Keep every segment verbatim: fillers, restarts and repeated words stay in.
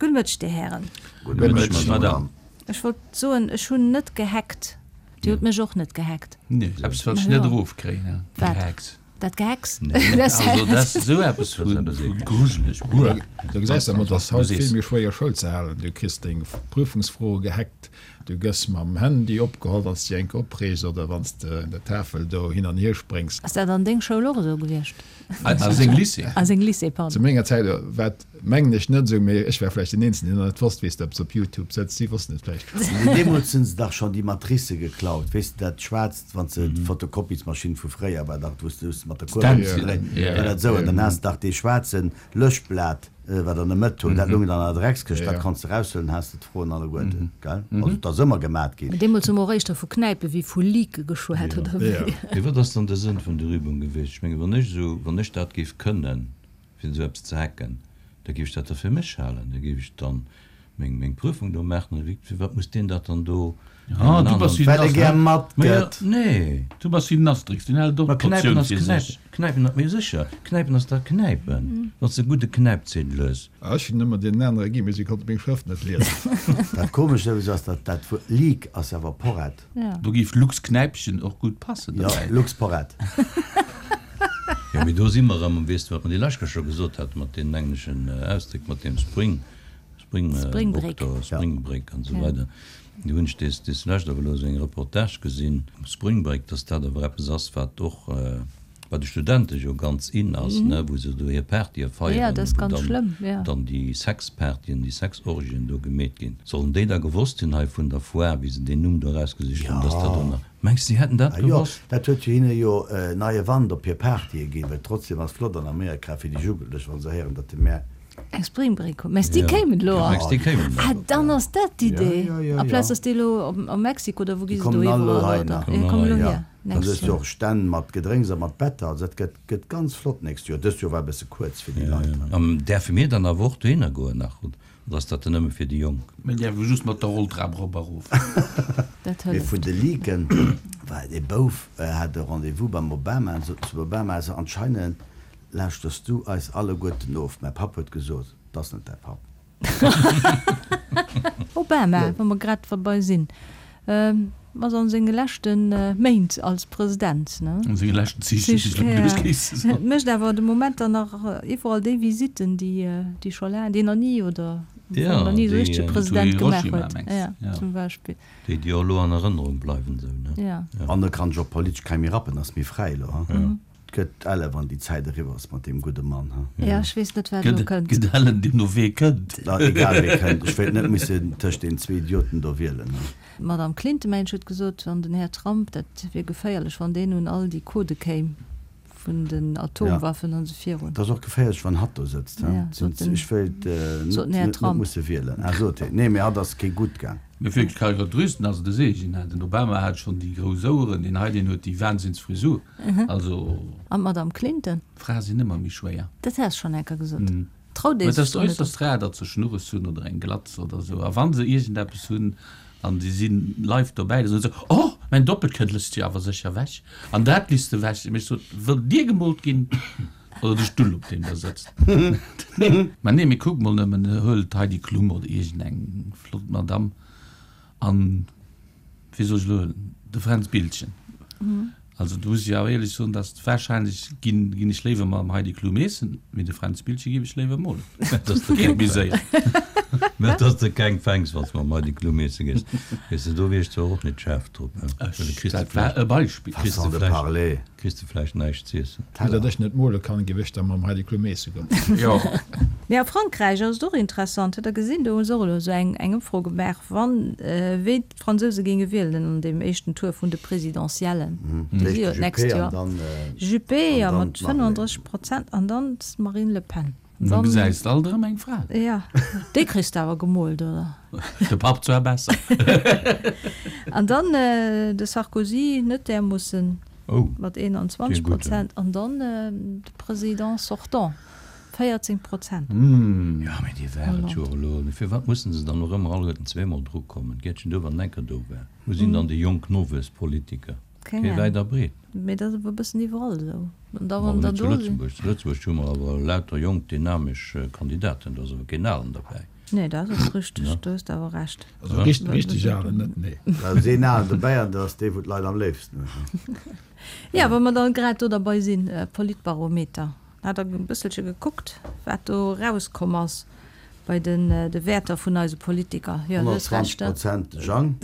Gudde Mëtteg, Dir Hären. Gudde Mëtteg, Madame. Ech wollt soen, ech hunn net gehackt. Dir hutt mech och net gehackt. Nee, eppes wat ech net erofkréien, Gehacks. Dat Gehacks? Also dat ass esou eppes vu grujeleg. Buer. Du gesäis awer, et ass haut vill méi schwéier Schoul ze halen. Du kriss deng Prüfungsfroe gehackt, du gëss mam Handy opgeholl, wann s de dech eng Kéier opreegs oder wann s de un der Tafel do hin an hier spréngs. Ass dat an deng Schoul och esou gewiescht? A seng Lycée. A seng Lycée, pardon. Zu menger Zäit war et, mengen ech, net esou, mee ech war vläicht deen Eenzegen, deen nach net wosst, wéi s de eppes op Youtube sëtzt. Si wossten et vläicht schonn. Mee deemools hunn se dach schonn déi Matricë geklaut, weess de, dat Schwaarzt, wann s de d'Fotokopiesmaschinn vu fréier war dach, wou s de mat der Kuerbel Stencil, war dat esou, an dann has de dach dee schwaarze Löschblat, wat an der Mëtt huet, dat loung dann an der Dreckskëscht, dat konns de eraushuelen, has de d'Froen alleguerten, gell? Also et ass ëmmer gemat ginn. Mee deemools hu mer och éischter vu Knäipe wéi vu Leake geschwat, oder wéi? Mee wat ass dann de Sënn vun der Übung gewiescht? Ech mengen, wann ech esou, wann ech dat géif kënnen, fir esou eppes ze hacken, da géif ech dat da fir mech halen, da géif ech dann meng, meng Prüfung do maachen, oder wéi, firwat muss deen dat dann do Ah, du bass wéi den Well e gär Asterix. matgëtt. Nee. Du bass wéi den Asterix, deen hält och Ma Knäipen d'Portioun ass fir Knäip, sech. Knäipen ass, mee sécher, Knäipen ass da Knäipen, wann s de e gudde Knäipziedel hues. Ah, ech hunn ëmmer deenen anere ginn, mee si konnte meng Schrëft net liesen. Dat Komescht souwisou ass, dat dat Wuert Leak ass awer Porrett. Do géif Lux Knäipchen och gutt passen Jo, dobäi. Lux Porrett. Jo, mee do si mer erëm, weess de, wat mer déi lescht Kéier scho gesot haten, mat deenen engleschen Ausdréck, mat deem Spring, Spring, Spring Break. Doktor, Spring Break an esou weider. Do hunn ech des, des lescht awer elo esou eng Reportage gesinn, Spring Break, dass dat awer eppes ass, wat och bei de Studente jo ganz in ass, ne, wou se do hir Partye feieren, wou dann, dann déi Sexpartyen, déi Sexorgien do gemeet ginn. Sollen déi da gewosst hunn hei vun der Foire, wéi se deen Numm do erausgesicht hunn, dass dat do nach, mengs de, déi hätten dat Ah jo, gewosst? dat huet jo hinne jo neie Wand op hir Partye ginn, well trotzdem ass flott an Amerika fir déi Jugendlech, wa se héieren, datt de Mä. Eng Springbréck hunn. Mess déi kéimen elo an. Mess déi kéimen elo. Ah, dann ass dat d'Idee. Ja, ja, ja, Amplaz ja. dass déi elo op a Mexiko oder wou gi Déi se do kommen all elo iwwerall heihinner. oder? Kommen Ja, kommen all elo heihinner. hier Dann nächst hues du Joer. och Stänn mat Gedrénks a mat Better. Also dat gëtt, gëtt ganz flott nächst Joer. Dëst Joer war e bësse kuerz fir déi Leit. An däerfe mir dann awer och dohinner goen nach oder ass dat dann nëmme fir déi Jonk? Mir däerfe just mat der Rolltrap erop a rof. Dat Mee hëlleft. vun de Leaken, war dee Bouf hat e Rendez-vous beim Obama an sot zum Obama, Also anscheinend Lauschters du eis alleguerten of? Mäi Papp huet gesot, 't ass net däi Papp. Obama, wa mer grad derbei sinn, ass an senge leschte Méint als President, ne? An senge leschten Zich, hätt ech elo geduecht, géifs de soen. Mécht awer de Moment dann nach iwwerall déi Visitten, déi déi scho laang, déi nach ni oder Ja, nach ni esou déi, richtege Zu President gemaach Hiroshima, huet, mengs de? ja, Ja. zum Beispill. Déi, déi och elo an Erënnerung bleiwen, esou, ne? Ja. An e kann sech och politesch kei méi rappen, ass méi fräi elo, ha? 't gëtt elle wann déi Zäit eriwwer ass mat deem gudde Mann, ha? Ja, ech weess net, wat elo kënnt. Gëtt ellen deemno wee kënnt. Na, egal wee kënnt, ech wéilt net missen tëscht deenen zwee Idioten do wielen, ha? D'Madame Clinton, mengen ech, huet gesot, wann den Här Trump, dat wier geféierlech, wann deen un all déi Codë kéim vun den Atomwaffen an esou virun. Et ass och geféierlech, wann hatt do sëtzt, ha? Ja, sot den, Ech wéilt sot den Här net Trump. musse wielen. Ah, sot hien. Nee, mee hatt ass kee gutt gaang. Mee wierklech Karikaturisten ass et e Seegen, he. Den Obama hat schonn déi grouss Oueren, deen hei, deen huet déi Wahnsinnsfrisur. Also. An d'Madame Clinton? Frae sinn ëmmer méi schwéier. Dat has schonn enker gesot. Traut ee Mä et sech ass do net. äusserst rar, datt se Schnurres hunn oder eng Glatz oder esou. A wa se iergendeppes hunn an si si live dobäi, da soen se, Oh, mäin Doppelkënn lësst jo awer sécher wech. An dat lisst de wech. Mee ech sot, Wëllt Dir gemoolt ginn oder de Stull, op deem Der sëtzt? Mä nee, mee kuck mol nëmmen, huel d'Heidi Klum oder iergendeng flott Madamm an, wéi soll ech elo huelen, de Fränz Biltgen. Also do muss ech awer éierlech soen, dass wahrscheinlech ginn ginn ech léiwer mam Heidi Klum eessen, mee de Fränz Biltgen géif ech léiwer molen. Dass de Geet keng méi séier. Mä dass de keng fänks, wann s de mam Heidi Klum eesse gees. Weess de, do wier ech zwar och net schaarf drop, well da kriss de Dat war vläicht, e Beispill. kriss de Façon de vläicht, parler. kriss de vläicht näischt z'iessen. Vu datt ech net mole kann, géif ech da mam Heidi Klum eesse goen. Jo. Mee a Frankräich ass et och interessant, hutt Der gesinn, do hu se och elo esou eng eng Ëmfro gemaach, wann wéi d'Fransouse géinge wielen an deem éischten Tour vun de Presidentiellen, déi si jo D'éischt de d'nächst Juppé an Joer, dann Juppé, an jo, dann mat d'Marine. fënnenddrësseg Prozent an dann d'Marine Le Pen. An da gesäis de alt erëm eng Fra. Jo, déi kriss de awer gemoolt, oder? De Papp zwar besser. An dann de Sarkozy, net därmoossen, Oh, mat dee eenanzwanzeg Gudden. Prozent an dann de Président sortant, véierzéng Prozent. Jo, mee déi war et jo och elo. Mee firwat mussen se dann och ëmmer alleguerten zweemol dru kommen? D'Giertchen do war enker do war. Wou sinn dann déi jonk Nowuesspolitiker? Keng Kee Ahnung. wäit a breet. Mee dat ass awer e bëssen iwwerall esou. An da Awer wann der net zu do sinn. Lëtzebuerg. Zu Lëtzebuerg hu mer awer lauter jonk, dynamesch Kandidaten. Do ass awer keen Alen derbäi. Nee, dat ass richteg, do hues de awer Recht. Also richteg alen net, nee. Da ass een alen dobäi an dat ass dee wou d'Leit am léifsten hunn. Jo, wa mer dann grad do derbei sinn, Politbarometer, hat Der e bësselche gekuckt, wat do erauskomm ass bei den de Wäerter vun eise Politiker? Jo, du hues honnertzwanzeg Recht. Prozent de Jang.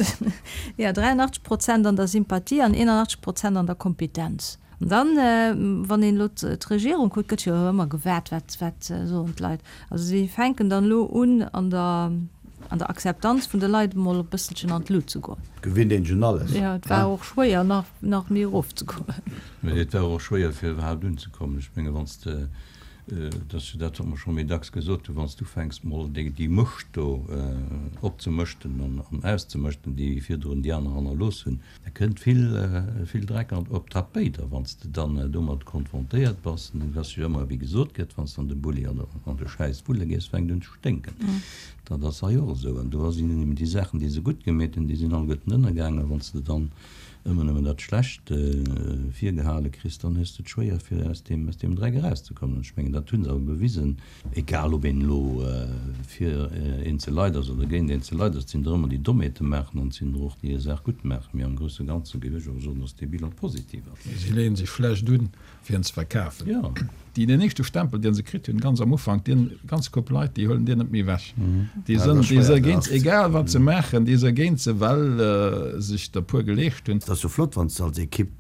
Jo, dräianachtzeg Prozent an der Sympathie an eenanachtzeg Prozent an der Kompetenz. An dann, wann een elo d'Regierung kuckt, gëtt jo ëmmer gewaart, wat, wat soen d'Leit. Also si fänken dann elo un, an der, an der Akzeptanz vun de Leit emol e bësselchen an d'Lut ze goen. Gewinnt een schon alles. Jo, et war och schwéier, nach, nach méi erofzekommen. Mee et war och schwéier, fir iwwerhaapt unzekommen. Ech menge wann s de, dat ass jo dat, wat mer scho méi dacks gesot hunn, wann s du ufänks mol déi, déi Mëscht do opzemëschten an, an auszemëschten, déi virdrun déi aner hannerlooss hunn, Da kënnt vill, vill Dreck an op d'Tapéit. A wann s de dann domat konfrontéiert bass, an et ass jo ëmmer, wéi gesot gëtt, wann s de an de Bulli an an de Schäiss wulle gees, fänkt un ze sténken. Dat ass hei och esou. An do sinn eben déi Saachen, déi se gutt gemeet hunn, déi sinn alleguerten ënnergaangen. A wann s de dann ëmmer nëmmen dat Schlecht virgehale kriss, dann hues de et schwéier, fir aus deem, aus deem Dreck erauszekommen. An ech mengen, dat hu se awer bewisen. Egal ob een elo fir eenzel Leit ass oder géint eenzel Leit ass, et sinn der ëmmer déi Dommheete maachen an et sinn der och déi hir Saach gutt maachen. Mee am grousse Ganze géif ech awer soen, datt dee Bilan positiv ass. Si leeën sech schlecht un, fir en ze verkafen. Jo. Déi, deen éischte Stempel, deen se kritt hunn, ganz am Ufank, deen ganz Koup Leit, déi huelen deen net méi ewech. Déi sënn, déi se géint, egal wat se maachen, déi se géint se, well sech der puer geleescht hunn. Et ass jo flott, wann s de als Ekipp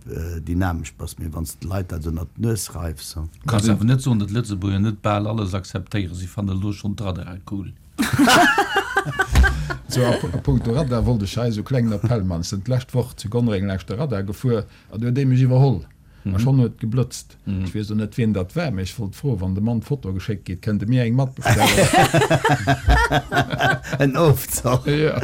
dynamesch bass, mee wann s de d'Leit dat ënnert d'Nues reifs. Du kanns awer net soen, datt d'Lëtzebuerger net bal alles akzeptéieren. Si fannen elo schonn d'Radare cool. Sou, a punkto Radar wollt ech hei esou e klengen Appell man. Ech sinn d'lescht Woch zu Gonnereng laanscht de Radar gefuer an du huet ee mech iwwerholl a schonn huet et geblëtzt. Ech weess elo net wien dat war, mee ech wollt froen, wann de Mann d'Foto geschéckt kritt, kënnt e mir eng matbestellen? En Ofzoch. Jo.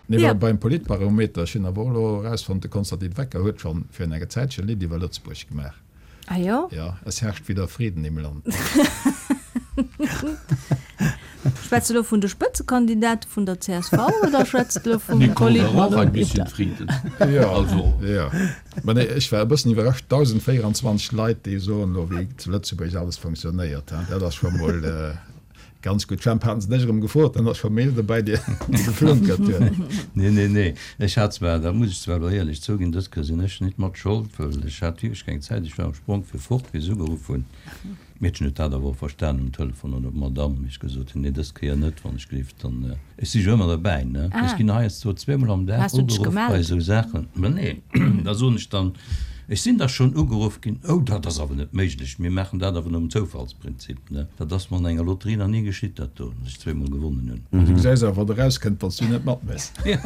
Nee, well beim Politbarometer, ech hunn awer och elo erausfonnt, de Konstantin Wecker huet schonn virun enger Zäitchen e Lidd iwwer Lëtzebuerg gemaach. Ah jo? Ja, es herrscht wieder Frieden im Land. Schwätz de elo vun de Spëtzekandidate vun der C S V oder schwätz de elo vum Nicole, da brauch ein bisschen Politbarometer? Frieden. Jo, Also. jo. Mä nee, ech war e bëssen iwwerrascht, dausendvéieranzwanzeg Leit, déi soen elo, wéi zu Lëtzebuerg alles funktionéiert. Dat ass scho mol Ganz gutt, Jemp, haten se dech erëm gefrot, dann ass scho Mail dobäi, déi geflunkert huet. Nee, nee, nee, ech hat zwar, dat muss ech zwar elo éierlech zouginn, dës Kéier sinn ech nit mat Schold, well ech hat wierklech keng Zäit, ech war am Sprong fir fort, wéi se ugeruff hunn. D'Meedchen huet dat awer och verstanen um Telefon, oder d'Madame, wéi ech gesot hunn, nee, dës Kéier net, wann ech gelift, dann, ech si jo ëmmer derbäi, ne, ech ginn heiansdo zweemol am Dag Has du dech ugeruff bei gemellt? esou Saachen, mä nee, da soen ech dann, Ech sinn da schonn ugeruff ginn, Oh, dat ass awer net méiglech, mir maachen dat awer nom Zoufallsprinzip, ne? Dat ass mer an enger Lotterie nach ni geschitt, dat do, datt ech zweemol gewonnen hunn. Du gesäis awer, wat erauskënnt, wann s du net matméchs. Jo,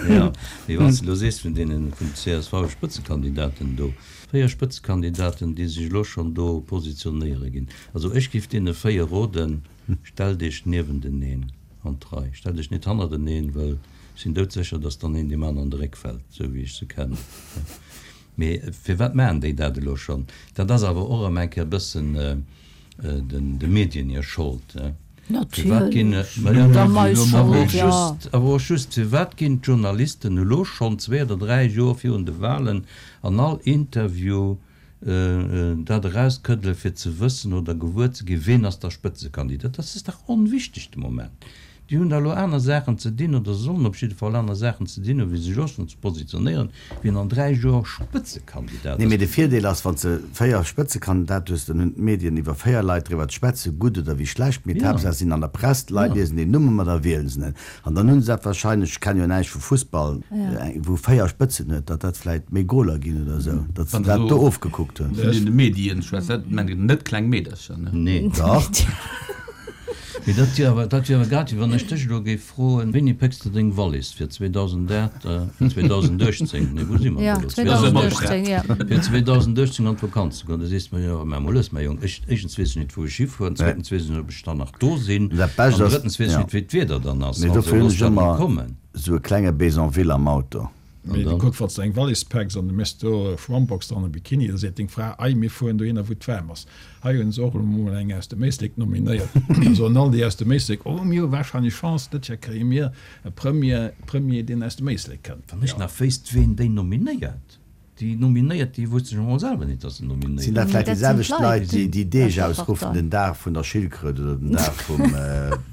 jo. Mee wann s de elo sees vun deenen, vun C S V-Spëtzekandidaten do, véier Spëtzekandidaten, déi sech elo schonn do positionéiere ginn, also ech géif deene véier roden, Stellt Iech niewenteneen an d'Rei, stellt Iech net hannerteneen, well ech sinn doudsécher, datt dann een deem aneren an de Réck fält, esou wéi ech se kennen. Mee firwat maachen déi dat elo schonn? Dat ass awer och erëm eng Kéier e bëssen de Medien hir Schold. Firwat ginn, awer och just, firwat ginn d'Journalisten elo schonn zwee oder dräi Joer virun de Wahlen an all Interview dat erauskëddele fir ze wëssen oder gewuer ze ginn, ween ass da Spëtzekandidat? Dat ass dach onwichteg de Moment. Déi hunn da elo aner Saachen ze dinn oder sollen op jidde Fall aner Saachen ze dinn hunn, wéi sech elo schonn ze positionéieren, wien an dräi Joer Spëtzekandidat Nee, ass. mee de Virdeel ass, wann s de véier Spëtzekandidate hues, dann hunn d'Medien iwwer véier Leit driwwer ze schwätzen, gutt oder wéi schlecht, mee Ja. d'Haaptsaach si sinn an der Press, d'Leit Ja. liesen deen Numm ëmmer, da wielen se en. An dann hu se dat wahrscheinlech, ech kenne jo näischt vu Fussball, wou véier Spëtzen huet, datt dat vläit méi Goler ginn oder esou, datt se Wann de dat do elo ofgekuckt hunn. vun den Medien schwätz, dat mengen net kleng Meedercher, ne? Nee. Dach. Mee dat wier awer, dat wier awer grad wéi wann ech dech elo géif froen, Wéini pécks de deng Wallis fir zweedausendaacht, fir zweedausendachtzéng, nee wou si mer Ja, elo? zweedausendachtzéng, ja. Fir zweedausendachtzéng an d'Vakanz ze goen. Da sees de mer, jo, mä mol lues, mäi Jong, ech, éischtens weess ech net wou ech hifueren, zweetens weess ech net ob ech dann nach do sinn, Dat Bescht an ass, drëttens weess ech ja. net wéi d'Wieder dann ass. Mee Also dofir hunn looss ech dat mol ëmmer kommen. esou e klenge Baiser-en-ville am Auto. Mee An dann? kuck, wann s de eng Wallis packs an du méchs do e Schwammbox dran, e Bikini, da seet deng Fra, Ei, mir fueren dohinner, wou et waarm ass. Hei hunn se och elo mol eng aus dem Éislek nominéiert. Da soen all déi aus dem Éislek, Oh, mir hu warscheinlech Chance, dëst Joer kréie mir e Premier, Premier, deen aus dem Éislek kënnt. Wann ech nach wéisst, ween déi nominéiert. Déi Nominéiert, déi wusste scho mol selwer net, dass se nominéiert Sinn dat vläicht Dat déi sinn selwecht d'Leit Leit, déi déi aus Deeg der ausruffen, Partei. den Dag vun der Schildkröt oder den Dag vum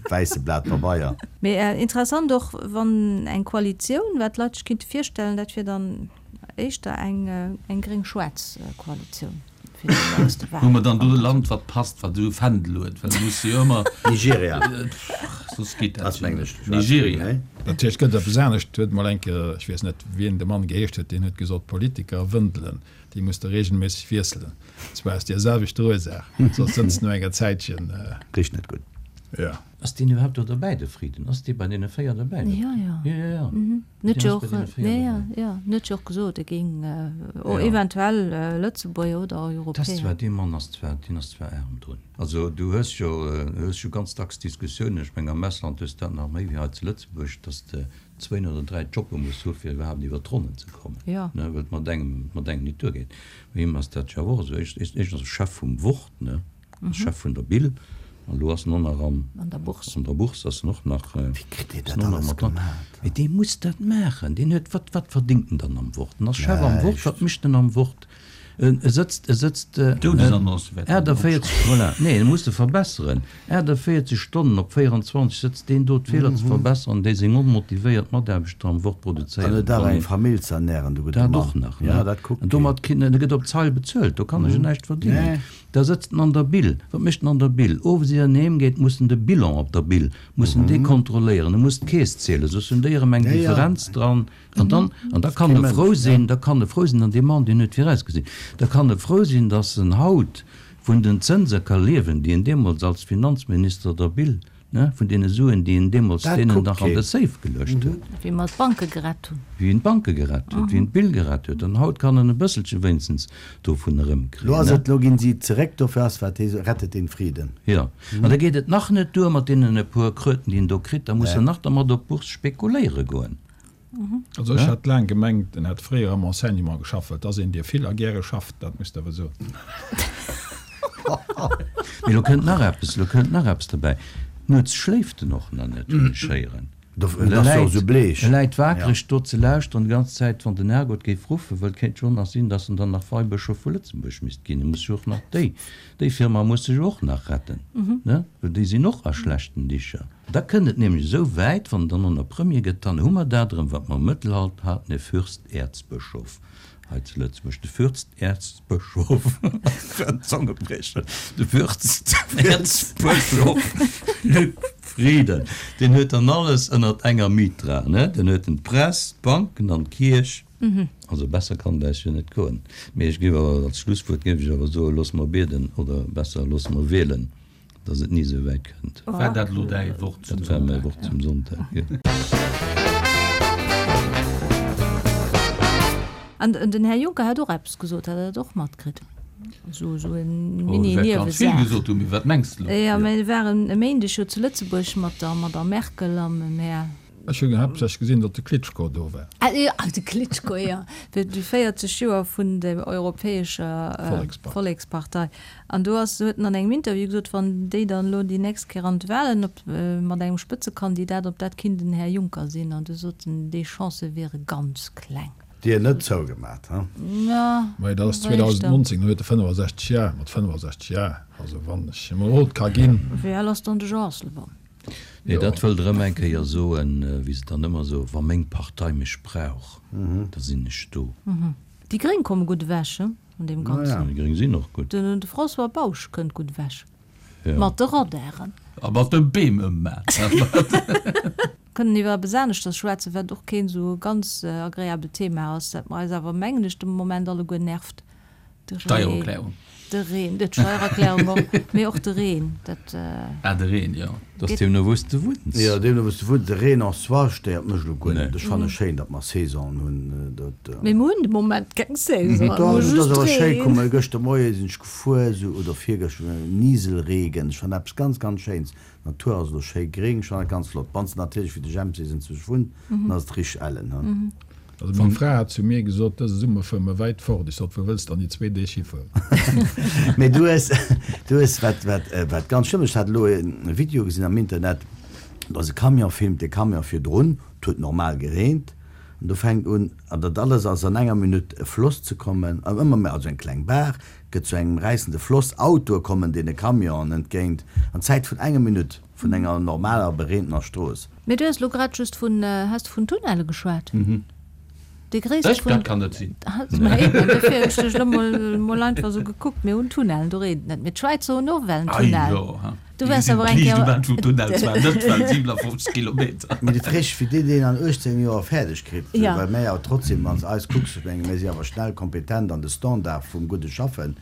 wäisse Blat Pabeier? Mee interessant och, wann eng Koalitioun, wat d'Leit sech kinnte virstellen, dat wier dann éischter eng gréng-schwaarz Koalitioun fir déi nächste Hu mer Wahlen. dann do e Land, wat passt, wat esou e Fändel huet? Well du muss jo ëmmer, Nigeria soss geet dat ass, jo mengen net. ech, schwaarz-gréng, Nigeria. nee? Natierlech gëtt et eppes anescht, huet mol eng Kéier, ech weess net, wien de Mann geheescht huet, deen huet gesot, Politiker wëndelen, déi muss de regelméisseg wiesselen, zwar aus deer selwechter Ursaach, soss sëtzt no enger Zäitchen. Richt net gutt. Jo. Ass deen iwwerhaapt do derbäi, de Frieden? Ass dee bei deene véier derbäi? Jo, jo. Jo, jo, jo. En huet Deen jo ass bei och, deene véier nee, jo, derbäi. jo, en huet jo och gesot, e géing Jo. eventuell Lëtzebuerger oder Dat ass Europäer. zwar, dee Mann ass zwar, deen ass zwar aarm drun. Also du hues jo, du hues jo ganz dacks Diskussiounen, ech meng am Ausland hues de dat nach méi wéi hei zu Lëtzebuerg, dass de zwéin oder dräi Jobbe muss hu fir iwwerhaapt iwwer d'Ronnen ze kommen, Jo. ne, well et mat engem, mat engem nit duergeet. Bei him ass dat jo awer och esou. Éischt, éischtens ass e Chef vum Wort, ne, ass Chef vun der Bill. An elo ass en och nach am, An der Bourse. an der Bourse ass en och nach, Wéi kritt dee ass dat en och nach alles mat dran. gemat? Mee dee muss dat maachen. Deen huet, wat, wat verdingt en dann am Wort? En ass Chef am Wort, Näischt. wat mécht en am Wort? En e sëtzt, e sëtzt D'Doudesannonce wäert en achtundvierzig, opschreiwen. voilà, nee, en muss se verbesseren. achtundvierzig Stonnen op véierundzwanzeg sëtzt deen do d'Feeler ze verbesseren, déi seng onmotivéiert Mataarbechter am Wort An produzéieren. huet awer Wann eng een Famill ze ernähren, de gudde Dat Mann. och nach, Ja, ne? dat kuckt An keen. domat kritt en, e gëtt op d'Zeil bezuelt, do kann e jo näischt verdingen. Nee. Da sëtzt en an der Bil. Wat mécht en an der Bil? Owes ier en heem geet, muss en de Bilan op der Bil, muss en dee kontrolléieren, e muss d'Keess zielen, soss hunn déi erëm eng Ja, ja. Differenz dran. An dann, an da kann Kee e Mënsch, frou ja. sinn, da kann e frou sinn, an dee Mann, deen huet virausgesinn, da kann e frou sinn, datt en haut vun den Zënse ka liewen, déi en deemools als Finanzminister der Bil, ne, vun deene Suen, déi en deemools Dat deenen kuckt nach an de keen. Safe geluecht huet. Wéi mer d'Banke gerett hunn. Wéi en d'Banke gerett huet, wéi en d'Bill gerett huet. An haut kann en e bësselche wéinstens dovun erëmkriegen, Lo ass ne. et, lo ginn si zeréck, dofir ass wat hee rettet den Frieden. Jo. An da geet et nach net duer mat deenen e puer Kröten, déi en do kritt, da muss en nach dermat op d'Bourse spekuléiere goen. Also ech hat laang gemengt, en hätt fréier am Enseignement geschafft, well et ass een, dee vill a gäre schafft, dat muss de awer soen. Mee lo kënnt nach eppes, lo kënnt nach eppes derbäi, Nuets schléift en och nach net, hunn ech héieren. Dofir ass e sou bleech. E läit waakreg do ze lauschteren déi ganz Zäit, wann den Herrgott géif ruffen, well et kéint jo och nach sinn, dass en dann nach Weibëschof vu Lëtzebuerg misst ginn. E muss jo och nach déi, déi Firma muss sech och nach retten, ne? Well déi sinn och a schlechten Dicher. Da kënnt et nämlech esou wäit, wann dann och nach Premier gëtt, dann hu mer dat erëm, wat mer am Mëttelalter haten, e Fürsterzbëschof hei zu Lëtzebuerg, de Fürsterzbëschof, Zongebriecher, de Fürsterzbëschof Luc Frieden, deen huet dann alles ënnert enger Mitra, ne? Den huet en d'Press, d'Banken an d'Kierch. Also besser kann et eis jo net goen. Mee ech géif awer als Schlusswuert géif ech awer soen, loosse mer bieden, oder besser, loosse mer wielen, dass et ni esou wäit kënnt. War dat elo däi Wort zum Dat war mäi Sonntag? Wort zum Sonntag, jo. An den Här Juncker hat och eppes gesot, hat Der dat och matkritt? Esou esou en Oh, e wäert ganz vill Mini-Niewesaach. gesot hunn, mee wat mengs de elo? Jo, mä e war en Méindeg jo zu Lëtzebuerg mat der Madame Merkel a mam Här. Ech hunn haaptsächlech gesinn, datt de Klitschko do war. Ah jo, de Klitschko, jo, fir déi véierzeg Joer vun der Europäescher Vollekspartei. An do ass, huet en an engem Interview gesot, wann déi dann elo déi nächst Kéier an d'Wahlen op, mat engem Spëtzekandidat, ob dat kinnt den Här Juncker sinn. An du sot en, déi Chancë wiere ganz kleng. Dier net zougemat, he? Ja, Mä dat ass wéi éischter. zweedausendnonzéng, do huet e fënnefasechzeg Jar, mat fënnefasechzeg Jar, also wann ech him e Rot ka ginn. Wéi al ass dann de Jean Asselborn? Nee, dat wëllt erëm eng Kéier soen, wéi se dann ëmmer soen, wa meng Partei mech brauch, da sinn ech do. Déi Gréng komme gutt ewech, he, an deem Ganzen. Déi Gréng sinn och gutt. Den de François Bausch kënnt gutt ewech. Ja. Mat de Radaren. A mat de Beem ëmman. Kënnen iwwer eppes aneschters schwätzen, wat och keen esou ganz agreabelt Thema ass, dat mer eis awer, mengen ech, de Moment alleguer nervt, de Reen. Steiererklärung. De Reen, d'Steiererklärung och, mee och de Reen, dat. Ah, de Reen, jo. Dat ass deemno wou s de wunns. Jo, deemno wou s de wunns. De Reen en soi stéiert mech elo guer Nee. net. Ech fanne schéin, datt mer Saisonen hunn. Dat. Mee mer hunn de Moment keng Saison, mer Dach, hu et ass just awer schéi. Reen. Kuck mol, gëschter Moie sinn ech gefuer, esou, oder virgëschter, Nieselregen. Ech fannen eppes ganz, ganz Schéins. D'Natur ass elo schéi gréng, ech fannen dat ganz flott. Wann s de natierlech wéi de Jemp sees enzwousch wunnt, dann ass et richteg ellen, he. Also meng Fra hat zu mir gesot, dëse Summer fuere mer wäit fort. Ech sot, wou wëlls de dann déi zwee Deeg hifueren? Mee du hues, du hues wat, wat, wat ganz schlëmm, ech hat elo e Video gesinn am Internet, do ass e Camion filmt de Camion virdrun, et huet normal gereent, An do fänkt un, an dat alles ass an enger Minutt, e Floss ze kommen, an ëmmer méi, also eng kleng Baach gëtt zu engem räissende Floss, Autoe kommen deene Camionen entgéint, an Zäit vun enger Minutt, vun enger normaler bereetener Strooss. Mee du hues elo grad just vun, has de vun Tunnelle geschwat? Dee gréisste Ech? vun. Dat kann net sinn. Ma eben, dofir hunn ech dech elo mol, mol einfach esou gekuckt. Mir hunn Tunnellen, do reent et net. Mee d'Schwäizer hunn och well en Ei Tunnel. jo, ha. Du Déi waars gesinn awer eng d'Liicht um Kéier. Enn vum Tunnel, zwar net well siwenafofzeg Kilometer. Mee de Frisch, wéi deen deen an uechtzéng Joer fäerdeg kritt, Ja. well mär jo trotzdem, wann s eis kucks, ech menge mär si awer schnell kompetent an de Standard vum gudde Schaffen,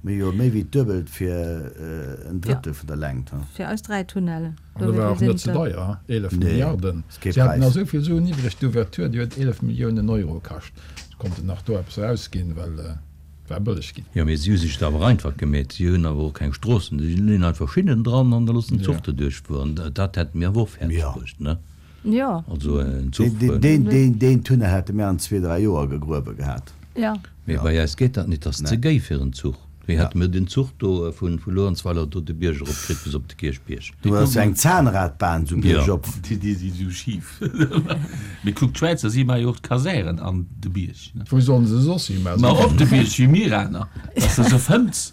mir hu jo méi wéi d'Duebelt fir en Ja. Drëttel vun der Längt, ha. Fir eis dräi Tunnellen. An dat war och net ze deier, ha, eelef Nee, Milliarden. ass kee Si haten Präis. nach esou vill Suen iwwreg, d'Ouverture, déi huet eelef Milliounen Euro kascht. Se konnten nach do eppes erausginn, well et war bëlleg ginn. Jo, mee si hu sech et awer einfach gemeet. Si hunn awer och keng Stroossen. Si leeën einfach Schinnen dran an da loossen den Zuch Ja. doduerch fueren. Dat hätte mir awer och fäerdeg Ja. bruecht, ne? Jo. Also en Zuch. Deen, deen, deen, deen Tunnel hätte mir an zwee, dräi Joer gegruewe gehat. Ja. Mee Ja. bei eis geet dat net, dat ass ze Nee. géi fir en Zuch. Wéi Ja. hätte mir den Zuch do vu vu Luerenzweiler do de Bierg erop kritt bis op de Kierchbierg? Do ass jo eng Zahnradbahn sou Ja. biergop. Déi, déi si sou schif. Mee kuck, d'Schwäizer, si maache jo och d'Kasären an de Bierg, ne? Wou sollen se soss hi? Ma op de Bierg, wéi mir aner, dass de se fënns.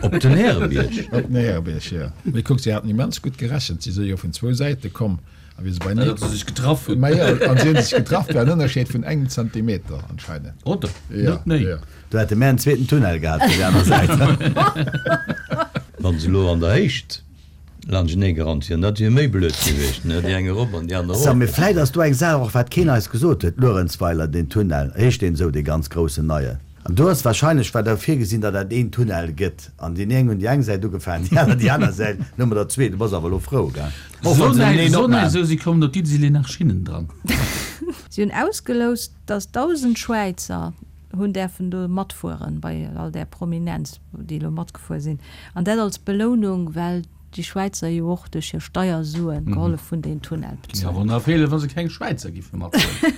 Op den Härebierg. Op den Härebierg, jo. Mee kuck, si haten immens gutt gerechent. Si si jo vun zwou Säite komm. A wéi se beinee. Datt se sech getraff hunn. Ma jo, an si hunn sech getraff bei en Ënnerscheed vun engem Zentimeter anscheinend. Oder? Ja, Net méi. ja. Do hätte mär en zweeten Tunnel gehat fir déi aner Säit. Wann se elo an der Héicht laanschtenee gerannt wieren, dat wier méi blöd gewiescht, ne? Déi eng erop an déi aner So, erof. mee vläit ass do eng Saach och, wat keen eis gesot huet, Luerenzweiler, deen Tunnel, heescht deen esou, dee ganz groussen neien? An do ass wahrscheinlech, war da virgesinn, datt dat een Tunnel gëtt. An déi eng hunn déi eng Säit ugefaangen, déi aner déi aner Säit. Lo hu mer der zwee. Du bass awer elo frou, gell? Och wann se nëmmen een opmaachen. Sou si kommen op d'Iddi, si leeën nach Schinnen dran. Si hunn ausgeloust, datt dausend Schwäizer hunn däerfen do matfueren, bei all där Prominenz, déi elo matgefuer sinn. An dat als Belounung, well déi Schwäizer jo och duerch hir Steiersuen gehollef hunn, deen Tunnel Géing bezuelen. awer nach feelen, wa se keng Schwäizer giffe mathuelen.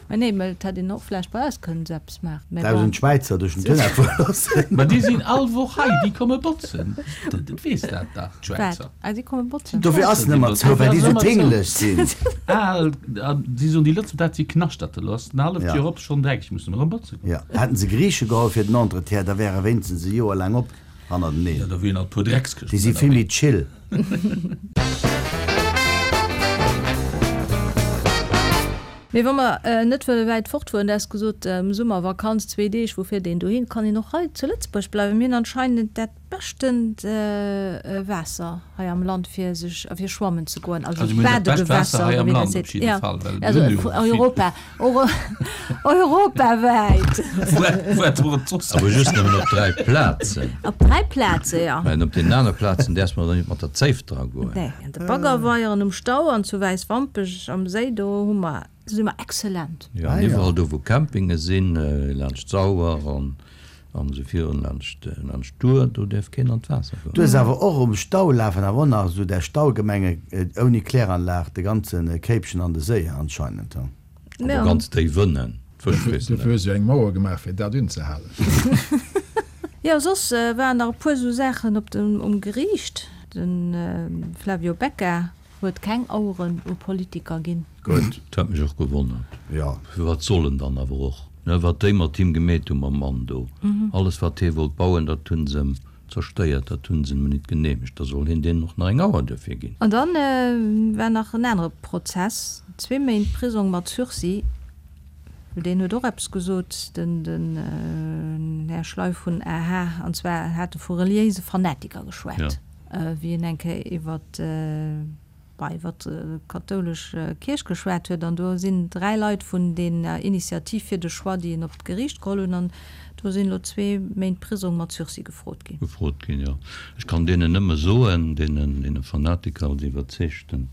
Mä nee, mä et hätt een och vläicht bei eis kënnen esou eppes maachen. Mä bon. Dausend Schwäizer duerch den Tunnel fuere loossen. Ma déi sinn all Woch hei, déi komme botzen. Du weess dat dach, d'Schwäizer. Wat? Ah, déi komme botzen? Dofir ass en ëmmer zou, well déi esou tingeleg sinn. Al, an si soen, déi Lëtzebuerger, dat si Knaschterte, lo ass en halleft Ja. Joer op, schonn dreckeg, musse mer erëm botze goen. Ja, hätten se Griiche geholl fir den Entretien, da wär e wéinstens e Joer laang op. Hannerteneen. Ja, da wieren nach e puer Dreckskëschten Déi si vill ënnerwee. méi chill. Mee wa mer net wëlle wäit fortfueren, du has gesot, Summervakanz, zwee Deeg, wou fiert een dohin? Kann een och hei zu Lëtzebuerg bleiwen. Mir hunn anscheinend dat beschtent Waasser hei am Land fir sech a fir schwammen ze goen, also Also mir hunn dat bescht Waasser Badegewässer hei oder am wéi dat Land op seet. jidde Ja, Fall, well mir also hunn jo vill. Europa, europawäit. Wat wor et soss? Awer just nëmmen op dräi Plazen. Op dräi Plaze, ja. Well op deenen anere Plazen däerfs mer dann net mat der Zéif dra goen. Nee, an de Baggerweieren um Stau an zu Wäiswampech am Séi, do hu mer, do si mer exzellent. Jo, an iwwerall do wou Campinge sinn, laanscht d'Sauer an an esou virun laanscht laanscht d'Our, do däerf keen an d'Waasser goen. Du hues awer och um Stau lafen awer och nach esou där Staugemenge ouni Kläranlag de ganze Kéipchen an de Séi anscheinend. Awer ganz déif ënnen, d'Fësch fressen Dofir dat. hu se jo eng Mauer gemaach fir dat unzehalen. Jo, soss waren nach e puer esou Saachen op dem um Geriicht. De Flavio Becca huet keng Aueren u Politiker ginn. Gutt. Dat huet mech och gewonnert. Jo. Firwat soll en dann awer och? Ne, wat déi mat him gemeet hu mam Mann do. Alles wat hie wollt bauen, dat hu se em zerstéiert, dat hu se em nit geneemegt. Da soll hien deenen och nach eng Auer duerfir ginn. An dann war nach en anere Prozess, zwee Méint Prisong mat Sursis, well deen huet och eppes gesot, den den Här Schley vun A H, an zwar hat e vu reliéise Fanatiker geschwat, wéi en eng Kéier iwwert bah, iwwer d'kathoulesch Kierch geschwat huet, an do sinn dräi Leit vun dener Initiativ fir de Choix, déi en op d'Geriicht geholl hunn, an do sinn elo zwee Méint Prisong mat Sursis gefrot ginn. Gefrot ginn, jo. Ech kann deenen nëmme soen, deenen, deene Fanatiker als iwwerzeegten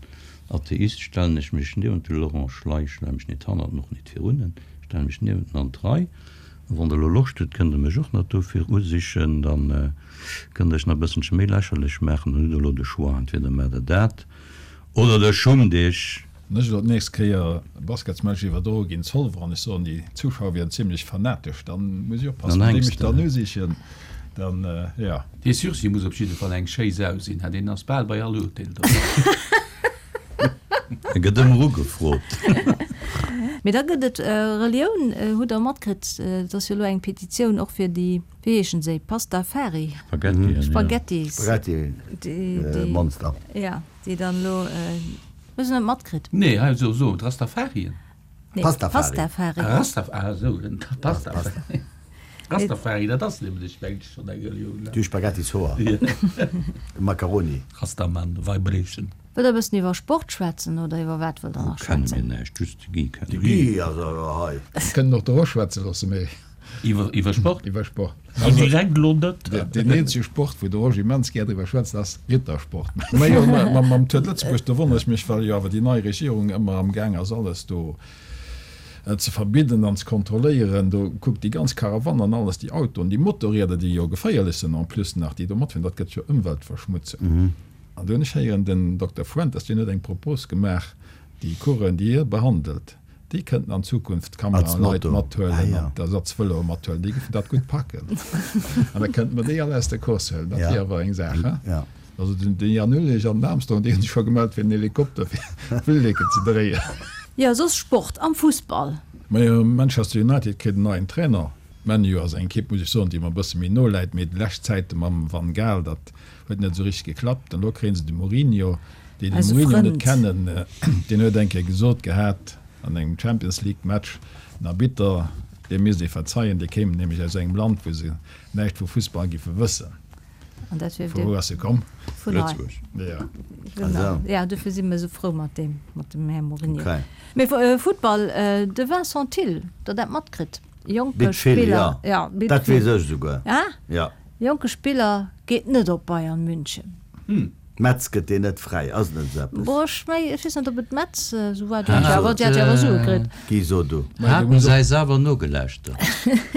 Atheist stellen ech mech niewent de Laurent Schley, ech stelle mech nit hannert en, och nit virun en, ech stelle mech niewent en an d'Rei. A wann Der elo Loscht hutt, kënnt Der mech och nach dofir usichen, dann kënnt Der iech nach e bësselche méi lächerlech maachen. Dann hutt Der elo de Choix, entweder maacht Der dat oder Der schummt Iech. Wann ech elo d'nächst Kéier e Basketsmatch iwwerdroe ginn, Zolwer, an ech soen, déi Zuschauer wieren zimlech fanatesch, dann muss ech oppassen, Dann wéi hänks mech de. dann usichen. Dann, jo. Dee Sursis muss op jidde Fall eng schéi Sau sinn, ha, deen ass bal bei all Urteel dobäi. E gëtt ëmmer ugefrot. Mee da gëtt et Relioun, hutt Der matkritt, et ass jo elo eng Petitioun och fir déi, wéi heeschen se, Pastafari? Spaghettien, jo. Spaghettis. Spaghetti Monster. Jo, déi dann elo, hues de net matkritt? Nee, hei so, so, d'Rastafarien. Nee, Pastafari. Pastafari. Ah, Rastaf, ah esou, den Pastafari. Rastafari, dat ass nämlech, mengen ech, schonn eng Relioun, ne? Du Spaghettis-Hoer. Macaroni. Rastaman Vibration. Wëllt der e bëssen iwwer Sport schwätzen oder iwwer wat wëllt der nach Kenne mir schwätzen? näischt, just de Guy kennen De ech. Guy ass awer hei. Mir kënnen och de Rosch schwätze loosse, mee. Iwwer, iwwer Sport? Iwwer Sport. Also direkt elo net. Deen eenzege Sport, wou de Rosch immens gär driwwer schwätzt, ass Rittersport. Mä jo, mam Tour de Lëtzebuerg, do wonnere ech mech, well jo awer déi nei Regierung ëmmer am Gaang ass, alles do ze verbidden an ze kontrolléieren. Do kuckt déi ganz Karawann an alles, déi Autoen, déi Motorrieder, déi jo geféierlech sinn en plus nach, déi do matfueren, dat gëtt jo Ëmweltverschmutzung. An do hunn ech héieren, den Dokter Fuentes, deen huet eng Propos gemaach, déi Coureuren, déi hie behandelt, déi kënnten an Zukunft d'Kameraleit mathuelen an d'Ersatzvëloe mathuelen, déi géifen dat gutt packen. An da kënnte mer déi all aus der Course huelen. Dat wier awer eng Saach, he? Also den Jan Ullrich an den Armstrong, déi hunn sech scho gemellt fir den Helikopter fir d'Villeke ze dréien. Jo, soss Sport am Fussball. Majo, Manchester United kritt en neien Trainer. Man U ass eng Ekipp, muss ech soen, déi mer e bësse méi no läit, mee déi lescht Zäite mam Van Gaal, dat huet net esou richteg geklappt. An elo kréie se de Mourinho. Déi de Eise Mourinho net Frënd. kennen, deen huet eng Kéier gesot gehat an engem Champions League Match, den Arbitter, deem misst ee verzeien, dee kéim nämlech aus engem Land, wou se näischt vu Fussball giffe wëssen. An dat wier Vu wou ass e komm? Vun hei. Lëtzebuerg. Ja. Genau. Ja, dofir si mir esou frou mat deem, mat dem Här Mourinho. Okay. Mee Futtball, de Vincent Thill, der dat matkritt, jonke Bitt vill, Spiller, ja. ja, bitt Dat vill. weess ech esouguer. Ah? Ja. Jonke Spiller geet net op Bayern München. Metz gëtt deen net fräi, ass net esou eppes? Boah, ech meng, ech weess net, ob et Metz esou war, déi hat jo awer, déi hat jo awer Sue kritt. Guy, so du. Haten se eis awer nogelauschtert.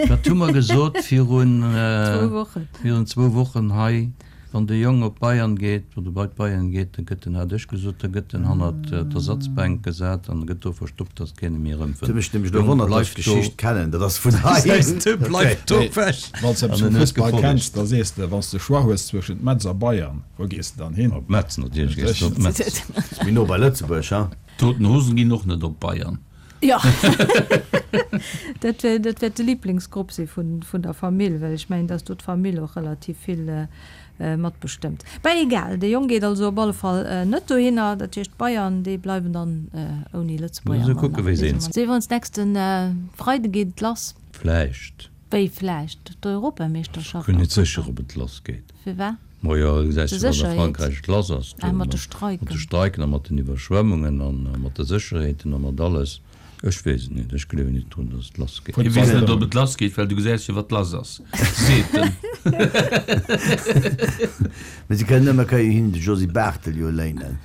Wat hu mer gesot virun, Zwou Wochen. virun zwou Wochen hei, wann de Jong op Bayern geet, oder bei d'Bayern geet, da gëtt en, hat ech gesot, da gëtt en hannert d'Ersatzbänk gesat an gëtt do verstoppt, datt keen e méi Et erëmfënnt. huet mech nämlech elo Jong, gewonnert, datt bleif ech do. d'Geschicht kennen. Dat ass vun hei. De bleift do Okay. ewech. Wann s de An eppes vum en huet Fussball gefollegt. kenns, da sees de, wann s de Choix hues zwëschent Metz a Bayern, wou gees de dann hin? Op Metz natierlech gees de op Metz. Ass méi no bei Lëtzebuerg, ha? D'Toten Hosen ginn och net op Bayern. Jo, dat wär, dat wäert de Liblingsgrupp si vun, vun der Famill, well ech mengen, dass do d'Famill och relativ vill matbestëmmt. Mä egal, de Jong geet also op alle Fall net dohinner. Dat heescht, d'Bayern, déi bleiwen dann ouni Lëtzebuerger. Musse kucke wéi se eens. Si wir ons nächsten Freide geet et lass. Vläicht. Wéi vläicht? D'Europameeschterschaft? Ech sinn net sécher, ob et lass geet. Firwat? Majo, du gesäis De jo, wat a Sécherheet. Frankräich et lass ass do Ah, mat de mat Streiken. de Streiken a mat den Iwwerschwemmungen a mat de Sécherheeten a mat alles. Ech weess et net. Ech gleewen net drun, datt et lass geet. Hie weess net, ob et lass geet, well du gesäis jo, wat lass ass, seet en. Mee se kënnen ëmmer kënnen hinnen de Josy Barthel jo léinen.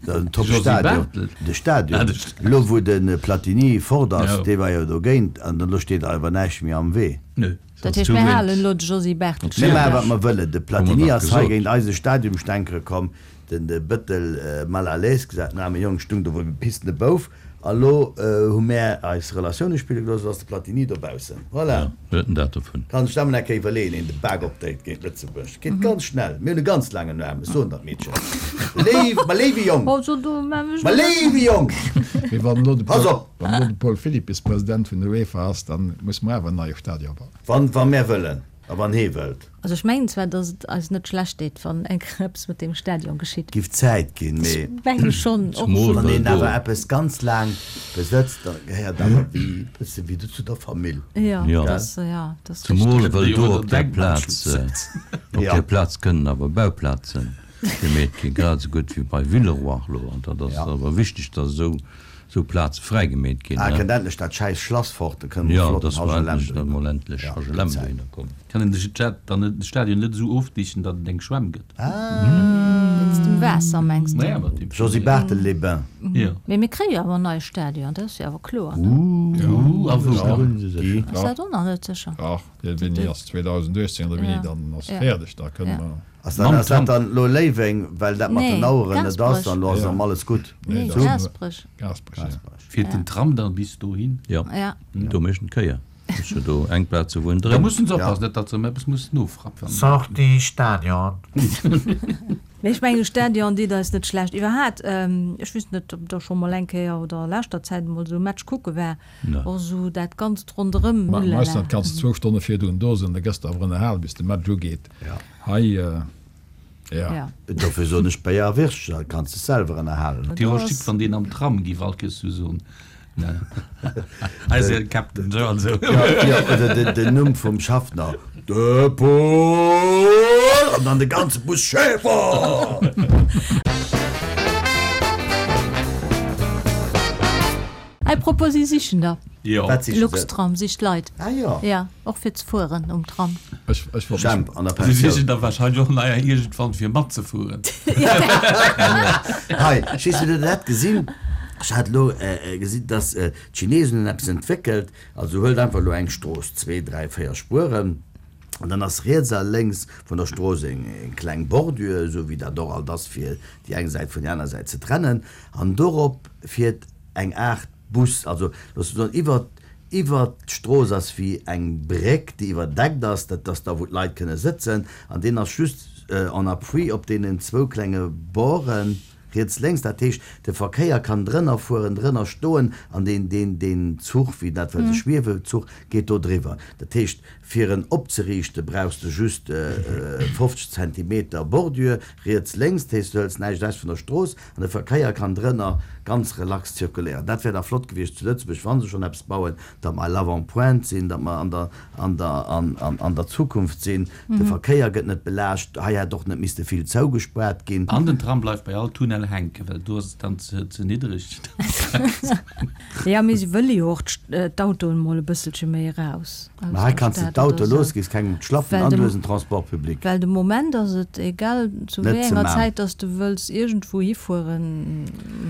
Dat ass en top Josy Stadion. Barthel? De Stadion. Ah, de Stadion. Elo wou de Platini fort ass, Jo. dee war jo dogéint, an elo steet awer näischt méi am Wee. Nö. Dat heescht, mir halen elo de Josy Barthel Mir maache wat mer wëllen. De Platini Hu mer ass dach hei gesot. géint eise Stadiumstänkere komm, den de Bëttel mal à l'aise gesat, den aarme Jong stung do wéi e pissende Bouf. A lo hu mär eis Relatioune spille gelooss, lo ass de Platini dobaussen. Voilà. Ja, huet en dat dovun. Kann sech dat mol eng Kéier iwwerleeën, een de Bak opdréit géint Lëtzebuerg. Geet ganz schnell. Mir hunn e ganz laangen Aarm, ech soen dat, Meedchen. Léif, ma léiwe Jong! Also do maa ech Ma mol. léiwe Jong! Mee wann elo de Pass Paul, op! wann elo de Paul Philippis President vun der UEFA ass, dann musse mer awer en neie Stadion bauen. Wann, wa mär wëllen a wann hee wëllt. Also ech mengen zwar, datt et eis net schlecht deet, wann eng Kéier eppes mat deem Stadion geschitt. Giff Zäit ginn, mee. Ech menge schonn och. Zumol Wann well een do. awer eppes ganz laang besëtzt, da gehéiert awer wéi e bësse wéi zu der Famill. Jo, Ja. dat ass, ja, dat ass Zumol richteg. well Jo, do oder op där Plaz, Denkmalschutz. op Ja. där Plaz kënnen awer Bauplazen gemeet ginn, grad esou gutt wéi bei Villeroy elo. An dat ass Ja. awer wichteg, datt esou Sou Plaze fräigemeet ginn, Ah, ne? kënnt endlech dat schäiss Schlass fort, da kënne mer Ja, flotten dass mer H L M endlech dann dohinner. mol endlech Ja, H L M gëtt Zäit. dohinner kommen. Kann een de Jet dann net, de Stadion net esou ofdichten, datt et eng Schwämm gëtt? Ah. Wéinst dem Waasser, mengs de? Naja, mat dem Josy Barthel les Bains. Ja. Mee mir kréie jo awer en neie Stadion, dat ass jo awer kloer, ne? Uh, a wou Ja. dann? Guy? Ass dat och nach net sécher? Ach, dee Winni ass zweedausendachtzéng oder wéini, Ja. dann ass Ja. fäerdeg, da kënne Ja. mer. Ass dat, Mam ass dat Tram. dann lo Léiweng, well dat mat Nee, den Aueren net ass, Gaasperech. an lo ass Ja. erëm alles gutt? Nee, Nee, dat ass Gaasperech. Gaasperech, ja. Gaasperech. Fiert den Tram dann bis dohin? Ja, Ja. do mécht en d'Kéier. Ass jo do eng Plaz wou en Da dréint. mussen se Ja. oppassen, net datt se erëm eppes mussen nofrappen. Sortie Stadion. Mee ech mengen, de Stadion deet eis net schlecht. Iwwerhaat, ech weess net, ob Der scho mol eng Kéier oder a leschter Zäit emol esou e Match kucke war, och esou dat Ganzt ronderëm, Ma ulala. meistens kanns de zwou Stonne virdrun do sinn, da gëss de awer ënnerhalen, bis de Match ugeet. Hei, jo. Ja. Dofir soen ech Béier a Würstchen, dat kanns de selwer ënnerhalen. Dir verstitt, wann deen am Tram giff all Kéiers sou soen. Eise Captain sou an sou. Jo, oder den Numm vum Schaffner, De Paul! An dann de ganze Bus, Schäfer! À propos, si sichen der. Jo. Wat siche se? Luxtram sicht Leit. Ah jo. Ja, och fir ze fueren um Tram. Ech, ech wollt mech. Jemp an der Si sichen Pensioun. der wahrscheinlech och neier iergendwann fir matzefueren. Hei, weess du, hutt der dat gesinn? Ech hat elo gesinn, dass d'Chinesen hunn eppes entwéckelt. Also huelt einfach elo eng Strooss, zwee, dräi, véier Spueren, an dann ass riets a lénks vun der Strooss eng kleng Bordure, esou wéi dat och alt ass, fir déi eng Säit vun där aner Säit ze trennen. An dorop fiert eng Aart Bus, also looss mer soen, iwwer iwwer d'Strooss ass wéi eng Bréck, déi iwwerdeckt ass, dat ass da wou d'Leit kënne sëtzen, an deen ass just en appui op deenen zwou klenge Borden. Riets, lénks, dat heescht, de Verkéier kann drënner fueren, drënner stoen an deen, deen, deen Zuch, wéi dat well, de Schwiewezuch geet do driwwer. Dat heescht, fir en opzeriichte brauchs de just fofzeg Zentimeter Bordure riets, lénks, dat heescht, du hëls näischt ewech vun der Strooss an de Verkéier kann drënner ganz relax zirkuléieren. Dat wär da flott gewiescht zu Lëtzebuerg, wa se schonn eppes bauen, datt mer à l'avant-pointe sinn, datt mer an der, an der, an, an, an der Zukunft sinn. De Verkéier gëtt net belaascht. Hei hätt och net misste vill zougespaart ginn. An den Tram bleift bei all Tunnel hänken, well do ass et dann ze ze niddreg. Jo, mee si wëlle jo och d'Autoen mol e bësselche méi eraus aus Mä hei der kanns de Stad d'Auto oder sou. looss, gees kengem op d'Schlappen Well an de du hues en Transport public. Well de Moment ass et egal zu Net wéi ze enger man. Zäit dass de wëlls iergendwou hifueren,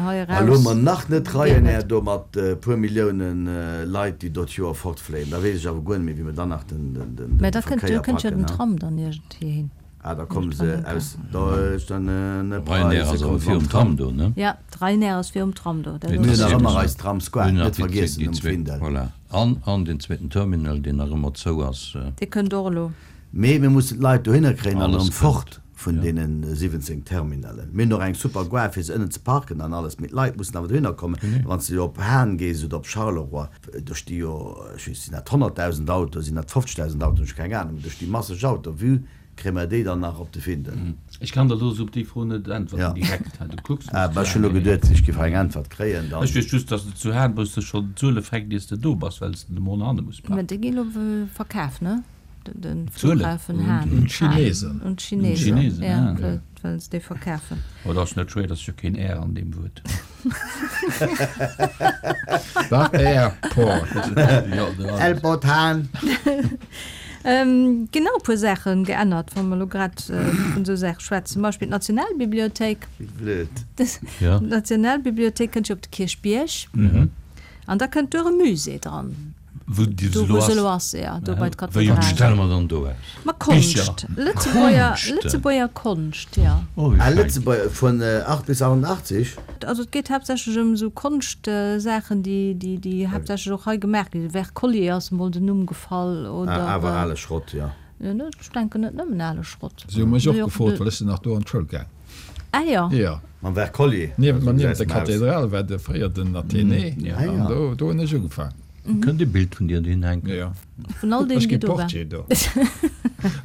hei A lo eraus mer nach net geet Ryanair net. do mat e puer Milliounen Leit, déi do d'Joer fortfléien, da weess ech awer guer net méi, wéi mer dann nach den den den Mä da kënnt Verkéier kënnt jo packen, den ne? Tram dann iergendwéi hin. Ah, da komme se aus Deutschland, Ryanair ass Preise awer kommen virum mam Tram Tram. do, ne? Ja, d'Ryanair ass virum Tram do, dat Mir Mir hunn ass. nach ëmmer eis Tramsquare Hunn nach net déi vergiessen déi um zwee, Findel. voilà. An, an den zweeten Terminal, deen nach ëmmer zou ass. Dee kënnt och elo. Mee mir mussen d'Leit dohinner kréien an Alles erëm kënnt. fort vun Ja. deene siwwenzéng Terminalen. Mir hunn och eng super Gare fir se ënnen ze parken an alles, mee d'Leit mussen awer dohinner kommen. Genee. Wann s de op Hahn gees oder op Charleroi, do sti jo, ech weess, sinn dat honnertdausend Autoen, sinn dat fofzegdausend Autoen, ech hu keng Anung, do sti masseg Autoen. Vue kréie mer déi dann nach op de Findel? Ech kann der elo esou op déi Fro net äntwerten Ja. direkt. Du kucks mech Ah, zu bah, ech hunn laang. elo geduet, ech géif hei eng Äntwert kréien, dann. Ech weess just, dass de zu Hahn wou s de schonn d'Zuele fänkt, iers de do bass, well s de de Mond hanne muss Mä paken. déi ginn elo verkaf, ne? Den D'Zuelen? Flughafen Hahn. Un d'Chinesen. Un d'Chinesen, Un d'Chinesen, ja, ah. well, well se déi verkafen. Oh, dat ass net schwéier, dat ass jo keen R an deem Wuert. Da Airport. Jo, do ass et. Airport Hahn. Ähm, ginn nach e puer Saache geännert, wa mer elo grad vun esou Saache schwätzen. Zum Beispill d'Nationalbibliothéik. Wéi blöd. Ja. D'Nationalbibliothéik kënnt jo op de Kierchbierg. Mhm. An da kënnt do e Musée dran. Wou déi Do, elo wou se ass. elo ass, ja, do Ja. bei Wéi d'Kathedral. Wat stelle mer dann do aus? Ma Konscht. Bicher. Lëtzebuerger, Konscht. Lëtzebuerger Konscht, ja. Oh, wéi Ah, fein. Lëtzebuerger, vun acht bis achtundachtzeg? Also et geet haaptsächlech ëm esou Konscht-Saachen, déi, déi, déi haaptsächlech och hei gemaach ginn. Wercollier ass emol den Numm gefall, oder. Ah, awer ale Schrott, jo. Jo, net, ech denken net nëmmen ale Schrott. Si hu mech och Mee och gefrot, de. well ech sinn nach do an d'Schoul gaang. Ah jo. Jo. Mam Wercollier. Niewent, ma Also, niewent der gesäis dem Haus. Kathedral war de fréier den Athénée. Ja. Ah, An ja. do, do hunn ech ugefaang. Kënnt e Bild vun dir dohin hänken? Jo. Vun all Ech deenen, gi déi do waren. Portier do.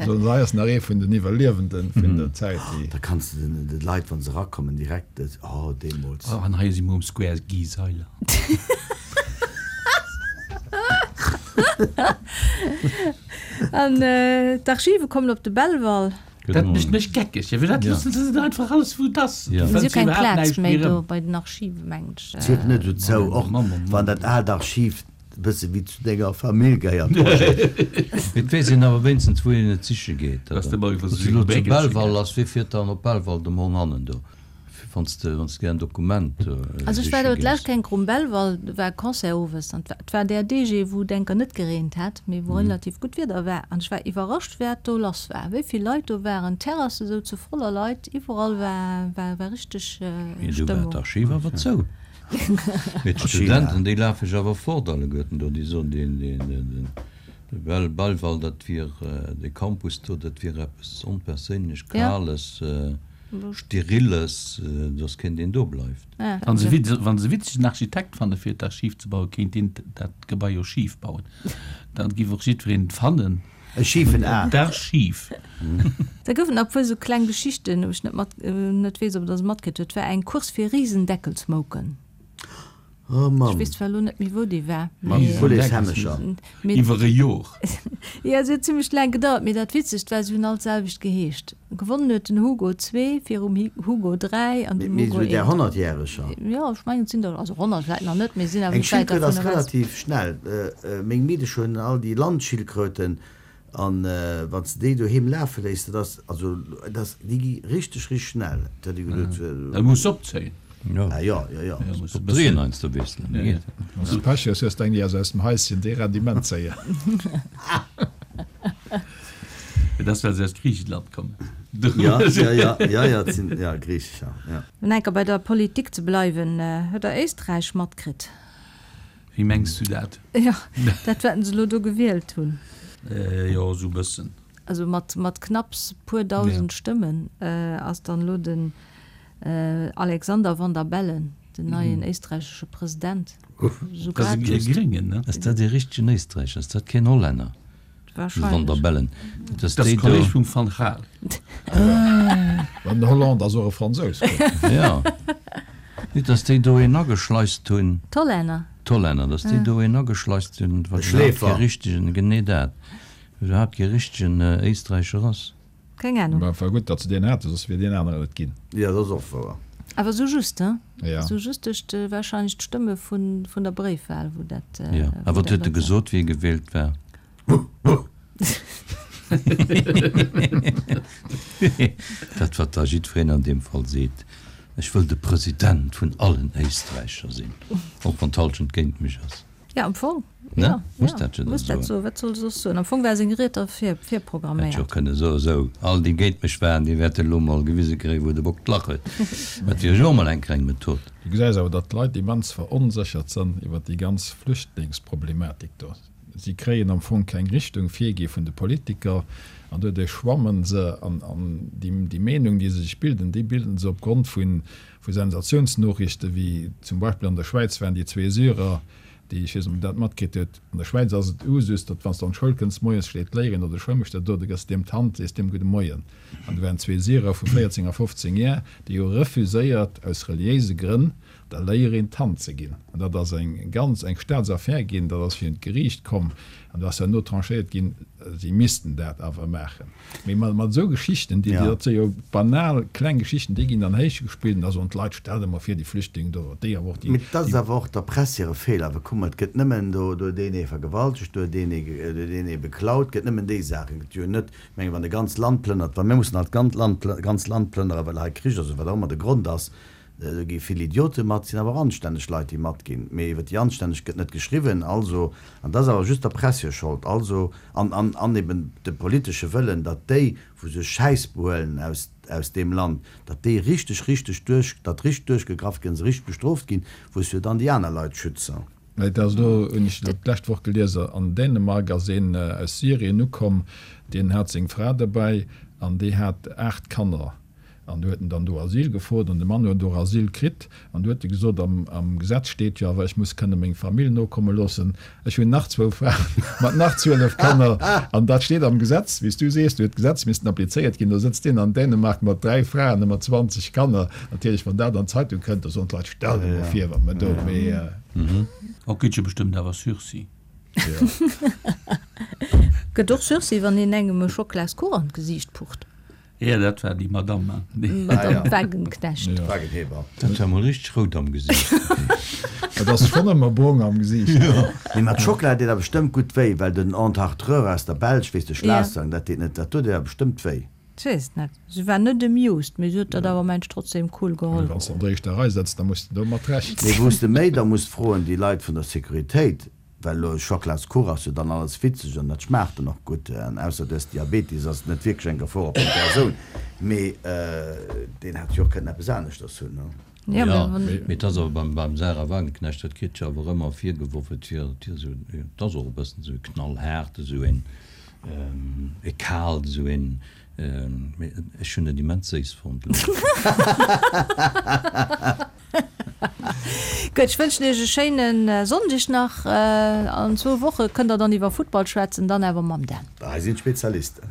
So, hei ass nach ee vun den Iwwerliewenden vun der Zäit, déi. Da kanns de den, de Leit, wa se erakommen, direkt, oh, deemools. Oh, an hei si mer um Square Guy Seiler. An d'Archive kommen op de Belval. Dat mécht mech geckeg. Jo, firwat loossen se net einfach alles wou et ass? Ja. Du Si fënns hu keng iwwerhaapt Plaz näischt méi méi do erëm. bei den Archive, mengen ech. Sief net esou zou, och Mann, Mann, Mann. wann dat aalt Archiv e bësse wéi zu denger Famill gehéiert, Roger. Et weess een awer wéinstens, wou een et siche geet. Dass de mol iwwer Wann esou s du elo zu Béckelche Belval geet. ass, wie fiert dann op Belval de Morgen hannen do? Wann s de, wann s de gär en Dokument Also ech siche war do gees. d'lescht Kéier um Belval, do war Concert owes an et war där Deeg, wou et enker net gereent hat, mee wou relativ gutt Wieder war. An ech war iwwerrascht, wat do lass war, wéi vill Leit do waren, d'Terrasse souze voller Leit, iwwerall war, war, war richteg Mee do war Stëmmung. d'Archiv awer zou. Mee d'Studenten, déi lafe jo awer fort alleguerten do, déi soen, deen, deen, den, de Bel, Belval, dat wier, de Campus do, dat wier eppes onperséinlech Ja. Kales. Steriles, dass keen deen do bleift. Wann se wann se witzegen Architekt fanne fir d'Archiv ze bauen, kéint deen dat Gebai jo schif bauen. Dann giff och jiddwereen et fannen. E schifen A. D'Archiv. Da goufen nach e puer sou kleng Geschichten, wou ech net mat net weess, ob Der se matkritt hutt. Et war eng Course fir Risendeckelsmouken. Oh Ech Mamm. weess zwar elo net méi, wou déi war, Mat mee. Pouletshämmecher. Mee. Iwwer e Jor. Jo, se huet zimmlech laang gedauert, mee dat Witzegt war, se hunn all d'selwecht geheescht. Gewonnen huet den Hugo zwee virum Hugo dräi an Mee, dem mee Hugo esou där eent. Honnertjäreger. Jo, ech mengen, et sinn der, also honnert vläicht nach net, mee sinn awer Eng net wäit Schildkröt ass dervun ewech. relativ schnell. Meng Meedecher hunn all déi Landschildkröten an wann s de déi doheem lafe léiss, dat ass, also dat ass, déi gi richteg, richteg schnell. Dat huet ee geduet. Da muss se opzéien. Ah jo, jo, jo. Ja, muss e Op bëssen. Dréien heiansdo wiesselen, da geet et. Wann s de Pech hues, hues de eng, déi ass aus dem Haischen, déi rennt immens séier. Dat ass, well se aus Griicheland kommen. Ja, ja, ja, ja, ja, et sinn, ja, Griichecher, ja. Fir enker bei der Politik ze bleiwen, Huet Der Éisträich matkritt? Wéi mengs du dat? Jo, dat wat se elo do gewielt hunn. Jo, esou e bëssen. Also mat, mat knapps puer dausend Stëmmen ass dann elo den Alexander Van der Bellen den neien éisträichesche President. Esou Dat ass grad e just. Gréngen, ne? Ass dat ee richtegen Éisträicher? Ass dat keen Hollänner? De Van der Wahrscheinlech. Bellen, dat ass Dat ass déi de Kolleg do. vum Van Gaal. An den Hollande ass och e Fransous. Jo. Nit, dass déi do een ageschleist hunn. D'Hollänner? D'Hollänner, dass déi do een ageschleist hunn, E wat iwwerhaapt kee Schläfer. richtegen, genee dat, iwwerhaapt kee richtegen Éisträicher ass. Keng Ahnung. Mä war gutt, datt se deen haten, soss wier deen aneren et ginn. Jo, dat ass och wouer. Awer sou just, he? Ja. Sou just duerch de, wahrscheinlech d'Stëmme vun, vun der Bréifwahl, wou dat, Jo. A wou wat dat huet e mat war. gesot, wéi e gewielt war? Dat, wat da jiddwereen an deem Fall seet, Ech wëll de President vun allen Éisträicher sinn, och wann d'Hallschent géint mech ass. Ja, am Fong, Ne? ja, Muss ja, dat jo dann muss dat soen. soen. Wat soll e soss soen? Am Fong war seng Ried da vir, Hätt jo virprogramméiert. kënne soen, Sou, all déi géint mech waren, déi wäerte lo mol gewise kréien, wou de Bock d'Lach huet. Dat wier jo och mol eng kleng Method. Du gesäis awer, datt d'Leit immens veronséchert sënn iwwer déi ganz Flüchtlingsproblematik do. Si kréien am Fong keng Richtung virgi vun de Politiker an doduerch schwammen se an, an déi, déi Meenung, déi se sech bilden, déi bilden se opgrond vu, vu Sensatiounsnoriichte wéi zum Beispill an der Schwäiz waren déi zwee Syrer, déi, ech weess net, ob Der dat matkritt hutt, an der Schwäiz ass et Usus, datt wann s de an d'Schoul kënns moies, steet d'Léierin oder de Schoulmeeschter do, du gëss deem d'Hand, sees deem Gudde Moien. An do waren zwee Syrer vu véierzéng a fofzéng Jar, déi hu refuséiert aus reliéise Grënn der Léierin d'Hand ze ginn. An dat ass eng ganz eng Staatsaffär ginn, dat ass virun d'Geriicht komm an do ass herno tranchéiert ginn, si missten dat awer maachen. Mee mat mat esou Geschichten, déi, Ja. dat si jo banal kleng Geschichten, déi ginn dann héichgespillt an da soen d'Leit, Stell der mol vir, déi Flüchtlinge do, déi awer och déi, Mee dat ass déi. awer och der Press hire Feeler, well kuck mol, et gëtt nëmmen do, do huet een ee vergewaltegt, do huet een ee, do huet een ee beklaut, et gëtt nëmmen déi Saachen. Et gëtt jo net, ech mengen, wann e ganzt Land plënnert, wa mir mussen halt d'ganz Land, ganz Land plënnere well hei Krich ass oder wat och ëmmer de Grond ass, Do gi vill Idiote mat, sinn awer och anstänneg Leit, déi matginn. Mee iwwer déi Anstänneg gëtt net geschriwwen. Also, an dat ass awer just der Press hir Schold, also, an, an, an eben de politesche Wëllen, datt déi, wou sech Schäiss behuelen aus, aus deem Land, datt déi richteg, richteg duerch, datt richteg duerchgegraff ginn, se richteg bestrooft ginn, wou se jo dann déi aner Leit schützen. Mä et ass elo, hunn ech d'lescht Woch gelies, an Dänemark ass een aus Syrien ukomm, deen hat seng Fra derbäi an déi hat aacht Kanner. An du huet en dann do Asyl gefrot an de Mann huet och Asyl kritt. An du huet e gesot, am, am Gesetz steet jo awer, ech muss kënne meng Famill nokomme loossen. Ech hunn nach zwou Fraen mat nach zwielef Kanner. An dat steet am Gesetz, wéi s du sees, do huet d'Gesetz missten applizéiert ginn. Do sëtzt deen an Dänemark mat dräi Fraen a mat zwanzeg Kanner. Natierlech, wann dat an d'Zeitung kënnt, da soen d'Leit, Stell der mol vir, wat mer do, mee. Och gëtt jo bestëmmt awer Sursis. Jo. Gëtt och Sursis, wann een engem e Schoklaskuch an d'Gesiicht pucht. Ja, dat war déi Madame. Madame Wagenknecht. Ja. Wagenheber. Dat war mol richteg rout am Gesiicht. Et ass schonn ëmmer brong am Gesiicht. Nee, mä d'Schockela deet awer bestëmmt gutt wéi, well den Entartreur aus der Belsch, weess de, Schlassang, dat deet net, dat do deet awer bestëmmt wéi. Ech weess et net. Si war net amused, mee si huet dat awer mensch trotzdem cool geholl. Wann s de an der éischter Rei sëtz, da muss de domat rechnen. Nee, wou s de méi da muss froen, déi Leit vun der Sécuritéit, well elo Schockladskuch ass jo dann alles witzeg an dat schmaacht dann och gutt, an ausser du hues Diabetes ass et net wierklech eng Gefor op deng Persoun, mee deen hätt jo och kënnen eppes aneschters hunn, ne? Jo, Jo, mee et ass awer beim, beim Sarah Wagenknecht, dat kritt jo awer ëmmer virgeworf, et wier, et wier esou, et ass och e bëssen esou e knallhaart, esou een, e kaalt, esou een, Mee ech hunn et immens séiss fonnt. Gutt, ech wënschen Iech e schéine Sonndeg nach. An zwou Woche kënnt der dann iwwer Futtball schwätzen, dann awer mam Dan. Hei sinn d'Spezialisten.